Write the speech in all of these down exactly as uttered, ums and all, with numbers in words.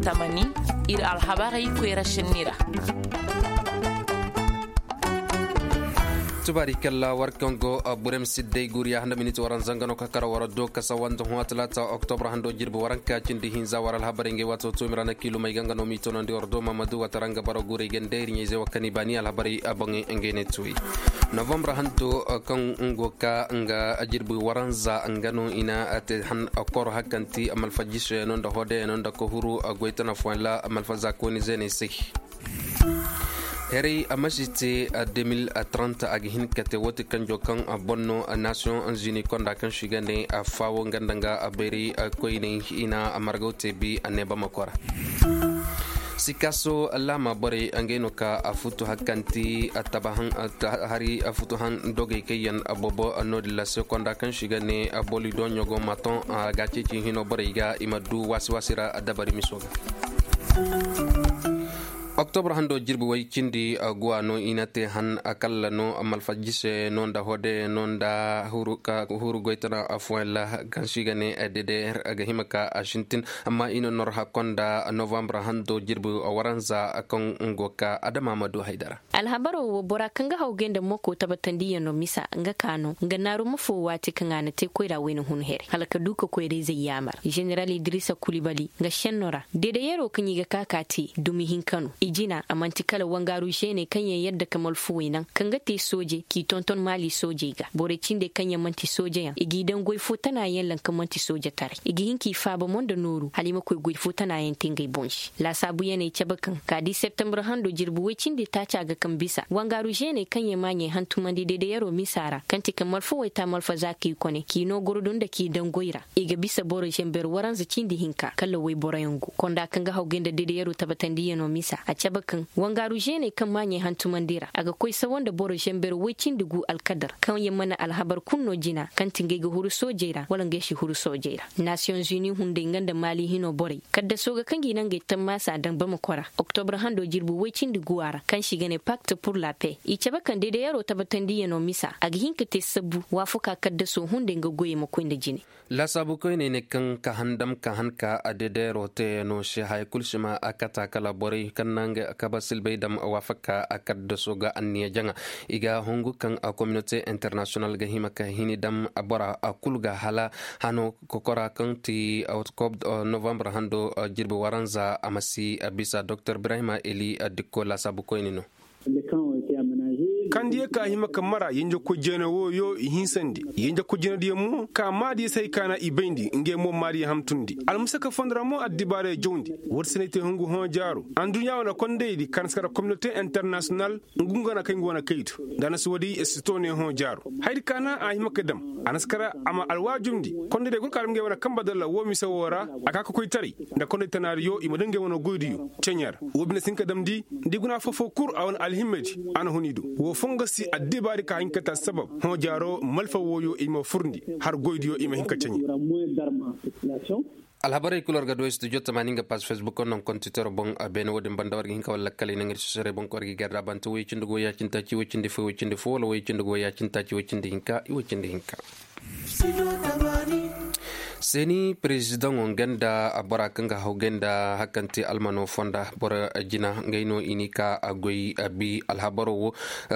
Tamani, ir alhabarey koyra šenni ra. Tubaari kalla war kaŋ go burem sidday guriya handa miniti waranza nga no ka kara war do kasa wanda hõ talaata oktobra hando jirbi waranka cindi hinza war alhabarey ngey waato tuumi ra na kiilumey ga nga no m'i toonandi war do mamadu watara nga bara guurey ganda ir ɲayzey wa kani baani alhabarey boŋey ngey ne tuuyi. Novambra hanto kaŋ go ka nga jirbi waranza nga no i na te han koro hakanti malfajiseyano nda hodeyano nda ka huru goytana fooyaŋ ra malfaza kooni zeeney se. Heray a ma si te deux mille trente a ga hin ka te woo ti kanjo kaŋ boŋ no nations unies konda kaŋ si ga ne faawo nga nda nga bayray koyney i na margaw te bi a ne bamako ra. Sikaaso laama borey ngey no ka futu hakanti taba haŋ hari futu haŋ dogey kaŋ yaŋ boobo no-din ra se konda kaŋ si ga ne boli doɲo go maton a ga ceeci hino borey ga i ma du waasi waasi ra dabari miso ga. Oktobra hando jirbi way cindi guwa no i na te han kalla no malfajise no nda hode no nda huru goytana fooyaŋ ra kaŋ si ga ne dede ga hima ka a sintin. Amma i na nor hakko nda novambra hando jirbi waranza kaŋ go ka adama ma du haydara. Alhabaro wo bora kaŋ ga hawgay nda moko tabatandiyaŋo misa nga ka no nga naaru ma foo waati kaŋ a na te koyra wayna hun here hala ka du ka koyra-izey yaamar. Ženeral idrisa kulibali nga šenno ra deedeyaroo kaŋ i ga ka ka te dumi hinka no i jina a man'ti kala wangaaru žeeney kaŋ yaŋ yadda ka malfuwey naŋ kaŋ ga te sooje k'i tonton maali soojey ga borey cindey kaŋ yaŋ man'ti soojeyaŋ i g'i daŋ goy foo tanaayaŋ laŋ kaŋ man'ti soojetaray i ga hin k'i faaba mo nda nooru hala i ma koy goy foo tanaayaŋ te ngey boŋ se. Laasaabuyaney cabe kaŋ ka di septembre hando jirbi woy cindi taaca ga kaŋ bisa wangaaru žeeney kaŋ yaŋ maaɲey hantumandi deedeyaroo misa ra kaŋ ti ka malfawey ta malfaza k'i kone k'i noo gordo nda k'i daŋ goy ra. I ga bisa boro žember waranza cindi hinka kala woyboroyaŋ go konda kaŋ ga hawgay nda deedeyaroo tabatandiyanoo misa a cabe kaŋ wangaaru žeeney kaŋ maaɲey hantumandi ra a ga koy sawa nda boro žember woy cindi gu alkadar kaŋ yaŋ mana alhabar kul no jina kaŋ ti ngey ga huru soojey ra wala ngey si huru soojey ra. Nasiyoŋ zuni hunday nga nda maali hinoo borey kaddasoo ga kaŋ gi na ngey tammaasa daŋ bamako ra. Oktobra hando jirbi woy cindi guwa ra kaŋ si ga ne pakt pur la pe i cabe kaŋ deedeyaroo tabatandiyanoo misa a ga hin ka te sabbu waafakaa kaddasoo hunday nga goyey ma koy nda jine. Laasaabu koyney ne kaŋ ka handam ka han ka a deedeyaroo teeyanoo se haya kul si ma a kata kala borey kaŋ na nga kaba silbay dam waafakaa a kaddasoo ga anniya jaŋa. I ga hungu kaŋ a kominote internasiyonal ga hima ka hini dam bora a kul ga hala hano kokora kaŋ ti koob novambar hando jirbi waranza a ma si bisa doktor ibrahima eli dikko laasaabu koyne no. Kaŋ diya ka hima ka mara yenjekoy jeene wooyo i hinsandi yenjekoy jeenediyaŋ mo ka maadiya se hay ka na i bayndi ngey mo maadiya hamtundi almusaka fondo ra mo addibaarey jawndi. Woodi se no ay te hungu hõ jaaro adduɲɲa wane kondaydi ka na si kara kominote internasiyonal ngu nga na kay ngu wane kaydu. Nda a na si woodi sito ne hõ jaaro haydi ka na a hima ka dam a na si kara a ma alwaajumndi kondaydiyo kul ka dam ngey wane kamba dalla woo mise woo ra. A ka ka koytaray nda konday tanaadiyo i ma daŋ ngey wane goydiyo ceɲe ra. Woo bine si hin ka damndi nda i guna affoo-foo kul a wane alhimmadi a na hun i do. Woo foo nga si addibaadi ka hin ka ta sabab hõ jaaro malfa wooyo i ma furndi har goydiyo i ma hin ka ceɲe. Alhabarey kul war ga du studio tamaani nga paas fesbuk naŋ kontitero boŋ. Beene wo-din banda war ga hin ka wala lakkaley naŋ ir sosorey boŋ ka war ga i garda bante woy cindi go ya-cindi taaci woy cindi fo woy cindi fo wala woy cindi go ya-cindi taaci woy cindi hinka i woy cindi hinka. Seeni perezidaŋo nga nda bora kaŋ ga haw gay nda hari kaŋ te almano fonda boro jina ngey no i n'i ka a goy a bi alhabaro wo.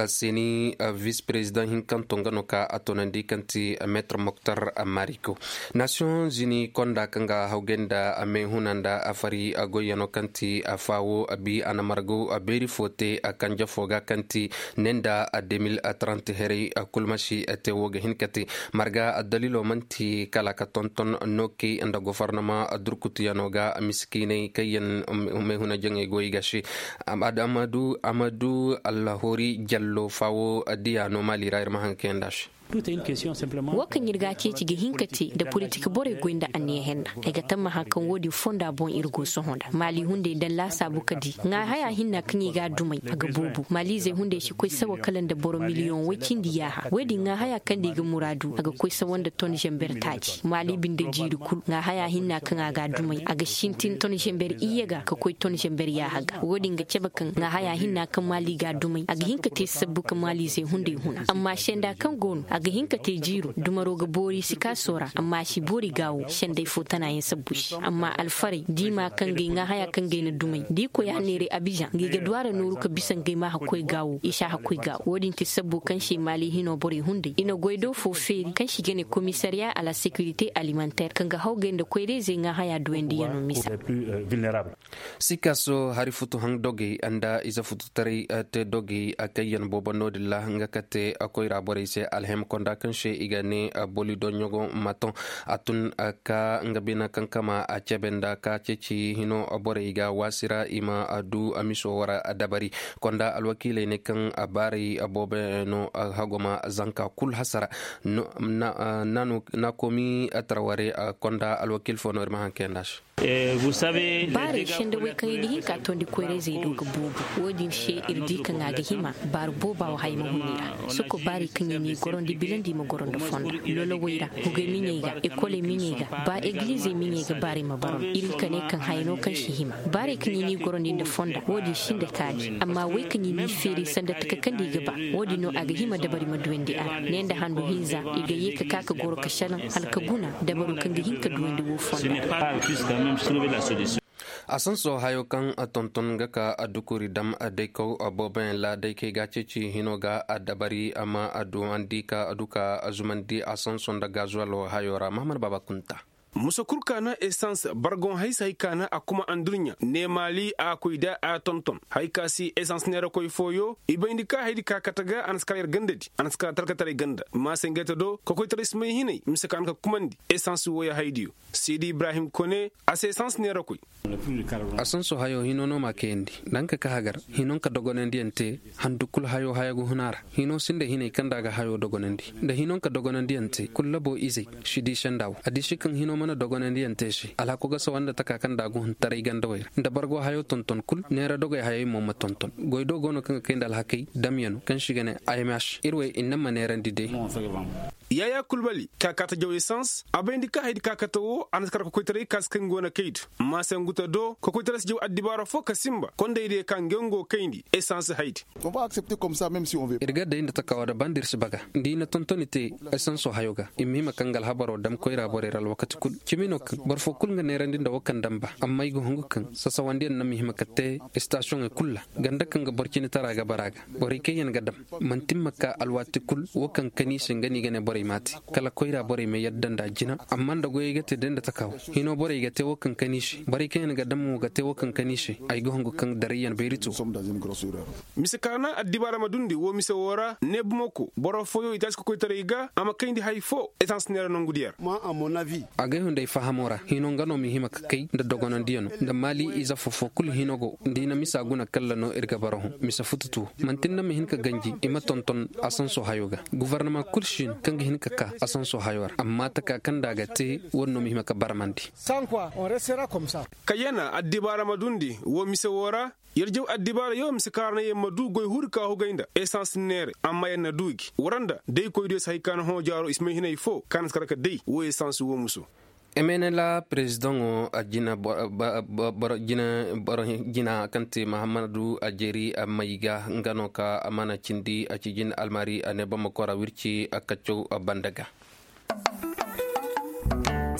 Seeni vis perezidaŋ hinkanto nga no ka a toonandi kaŋ ti meetar moktar mariko. Nasiyoŋ zini konda kaŋ ga haw gay nda meehuna nda afari goyyano kaŋ ti faawo a bi a na margo beeri fo te kanje fo ga kaŋ ti ne nda deux mille trente heray. Kul ma si te wo ga hin ka te marga addalilo manti kala ka tonton nookey nda gofornama durkutuyano ga misikiiney kaŋ yaŋ meehuna jaŋey go i ga se. Amadu allahori jallo faawo diya no maali ra ir ma haŋ ka kayandi a se. Wo kaŋ ir ga a ceeci ga hin ka te nda politik borey goy nda anniya henna. Ay ga tammaha kaŋ wo-din fonda boŋ ir go sohõ nda maali hunday daŋ laasaabu ka di ŋaahaya hinna kaŋ i ga a dumay a ga boobo maaliizey hunday si koy sawa kala nda boro miliyoŋ woy cindi yaaha wo-din ŋaahaya kaŋ nda i ga muraadu a ga koy sawa nda ton zember taaci maali binde jiiri kul ŋaahaya hinna kaŋ a ga a dumay a ga sintin ton zember iyye ga ka koy ton zember yaaha ga wo-din ga cabe kaŋ ŋaahaya hinna kaŋ maali ga a dumay a ga hin ka te sabbu ka maaliizey hunday huna amma senda kaŋ go no. Ga hin ka te jiiro dumaro ga boori sikaasoo ra amma a si boori gaawo senday fo tana yaŋ sabbu se amma alfarey diima kaŋ ga ay ŋaa haya kaŋ ga ay na dumay da i koy a neeray abizaŋ ga ay ga du a ra nooru ka bisa nga ay ma hakkoy gaawo i si a hakkoy gaawo wo- din te sabbu kaŋ se maali hinoo borey hunday i na goy do fo feeri kaŋ se i ga ne komisariya a la sekirite alimanteer kaŋ ga hawgay nda koyra-izey ŋaa haya duwandi yaŋ no misa. Sikaso hari futu haŋ dogey nda ize fututaray te dogey kaŋ yaŋ boobo no- din ra nga kate koyra borey se alhem konda kaŋ se i ga ne boli doɲogo maton a tun ka nga bina kaŋ kama a cebe nda ka ceeci hino borey ga waasi ra i ma du miso wara dabari konda alwakiiley ne kaŋ baaray boobo no hagoma zanka kul hasara. Na komi taraware konda alwakiil fo no ir ma haŋ kayanda se. Baarey se nda wey kaŋ i ga hin ka toondi koyra-izey do ga boobo wo- din se ir di kaŋ a ga hima baari booba wo haya ma hun i ra. Soko baarey kaŋ i n'i gorondi bilandi ma goro nda fonda lolowey ra, hugey miɲey ga, ekoley miɲey ga, ba egilizey miɲey ga baarey ma boro ir hin ka ne kaŋ haya no kaŋ si hima. Baarey kaŋ i n'i gorondi nda fonda wo- din sinda kaani amma wey kaŋ i n'i feeri sanda taka kaŋ nda i ga ba, wo- din no a ga hima dabari ma duwandi a ra ne nda handu hinza i ga ye ka ka ka goro ka salaŋ hala ka guna dabaru kaŋ ga hin ka duwandi wo fonda. A sanso hayo kaŋ tonton ga ka dukuri dam daykaw booboyaŋ ra day kay ga ceeci hino ga dabari amma a duwandi ka du ka zumandi a sanso nda gazuwal hayo ra mahamad baaba kunta. Musa kul ka na esans bargon haysa hay ka na a kuma andurɲa ne maali a koy da a tonton hay ka si esans neera koy fooyo i bayndi ka haydi ka kate ga a na si kar yar ganda di a na si kar talkataray ganda maasangayta do ka koytaray si may hinay mise ka na ka kumandi esans wooya haydiyo. Sidi ibrahim kone a se esans neera koy. A sanso hayo hino no ma kayandi nda nga ka hagar hinon ka dogonandiyaŋ te handu kul hayo haya ga hun a ra. Hino sinda hinay kaŋ nda a ga hayo dogonandi nda hinon ka dogonandiyaŋ te kul labo izey si di senda wo a di si kaŋ hino mana dogonandiyaŋ te se alhako ga sawa nda taka kaŋ nda a ga hun taray gandawey ra nda bargo hayo tonton kul neera dogey hayey mo ma tonton goy do go no kaŋ ga kay nda alhakey damyano kaŋ si ga ne. Imh ir wey inna ma neerandi day. Yaayaa kulbali ka kaata jaw esans a bayndi ka haydi ka kate wo a na si kar ka koytaray ka si kaŋ go na kaydi. Maasanguta do ka koytaray si jaw addibaara fo ka sinba kondey diya ka nge ngo kayndi esans haydi. Ir ga day nda takawa da banda ir si baga nda i na tontoni te esanso hayo ga i ma hima kaŋ ga alhabaro dam koyra borey ra alwakati kul. Cimi no kaŋ boro fo kul nga neerandi nda wo kaŋ damba amma i ga hungu kaŋ sasawandiyaŋ na ma hima ka te estasiyoŋey kul ra. Ganda kaŋ ga boro cine tara ga bara ga borey kaŋ yaŋ ga dam manti ma ka alwaati kul wo kaŋ kani se nga no i ga ne borey ma a te. Kala koyra borey ma yadda nda jina amma nda goyey ga te day nda takawa hino borey ga te wo kaŋ kani se borey kaŋ yaŋ ga dam mo ga te wo kaŋ kani se. Ay ga hungu kaŋ darayyaŋ bayri to. Mise kaana addibaara ma dundi wo mise woo ra ne bumako boro fooyo i taasi ka koytaray ga a ma kayndi hay foo esans neera nongu diyaŋ ra. Agay hunday fahamo ra hino nga no ma hima ka kay nda dogonandiyano nda maali ize fofo kul hino go nda i na misa guna kalla no ir ga bara hõ mise fututu manti nda ma hin ka ganji i ma tonton. Asanso hayo ga guvarnama kul si no kaŋ ga hin ka ka asanso hayo ra amma taka kaŋ nda a ga te wo- din no ma hima ka barmandi. Kayyana addibaara ma dundi wo mise woo ra. Yer jaw addibaara yoo mise kaŋ ra na yer ma du goy huri ka hugay nda esans neere amma yer na du gi wara nda day koydiyo si hay ka na hõ jaaro i si may hinay foo kaŋ na si kar ka day wo esans wo muso. Emenela perezidaŋo jina boro jina kaŋ te mahammadu ajeri may ga nga no ka a mana cindi a ci jin almari a ne bamako ra wirci a kaccaw banda ga.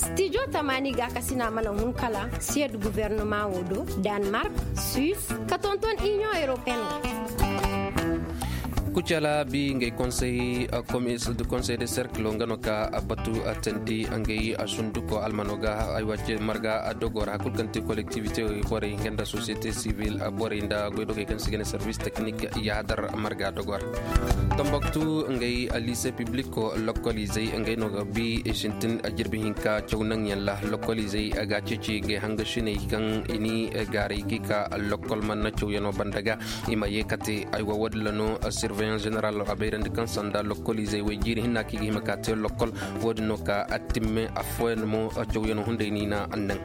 Stijo tamaani gaakasina mana hun kala siyed guvernoma wo do, danmark, suis, ka tonton inion europeen. Kucala bi ngay konsey komiso de konsey de serkilo nga no ka batu tandi ngay sunduko almano ga ay wacce marga dogora kulkanti kolektivite borey nga nda sosiyete sivil borey nda goydogey kaŋ sigane servis teknik yahadar marga dogora. Tambaktu ngay lise pibliko lokoliizey ngay no ga bi sintin jirbi hinka caw naŋ yaŋ ra lokoliizey ga ceeci gay hanga siney kaŋ i ni gaaray ga i ka lokol mana caw yaŋo banda ga. I ma ye kate ay wa wo- din ra no sirveyan zeneral a bayrandi kaŋ sanda lokoliizey way jiiri hinna kaŋ i ga hima ka te lokol. Wo- din no ka a timme affooyaŋ mo caw yaŋo hunday no i na a naŋ.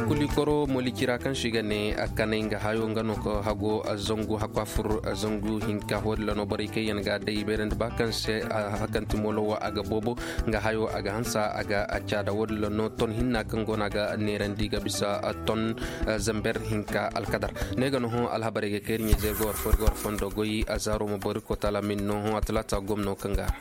Kuli koro moliki ra kaŋ se i ga ne kanay nga hayo nga no ka hago zangu hakwa fur zangu hinka wo- din ra no borey kaŋ yaŋ ga day bayrandi ba kaŋ se hakanti molo wo a ga boobo. Nga hayo a ga hansa a ga a caada wo- din ra no ton hinna kaŋ go no a ga neerandi ga bisa ton zamber hinka alkadar. Ne ga no hõ alhabarey ga kayri ɲayzey ga war fo ir ga war fondo goy a zaaro ma boro ir ko taala min no hõ a talaata gomno kaŋ ga a ra.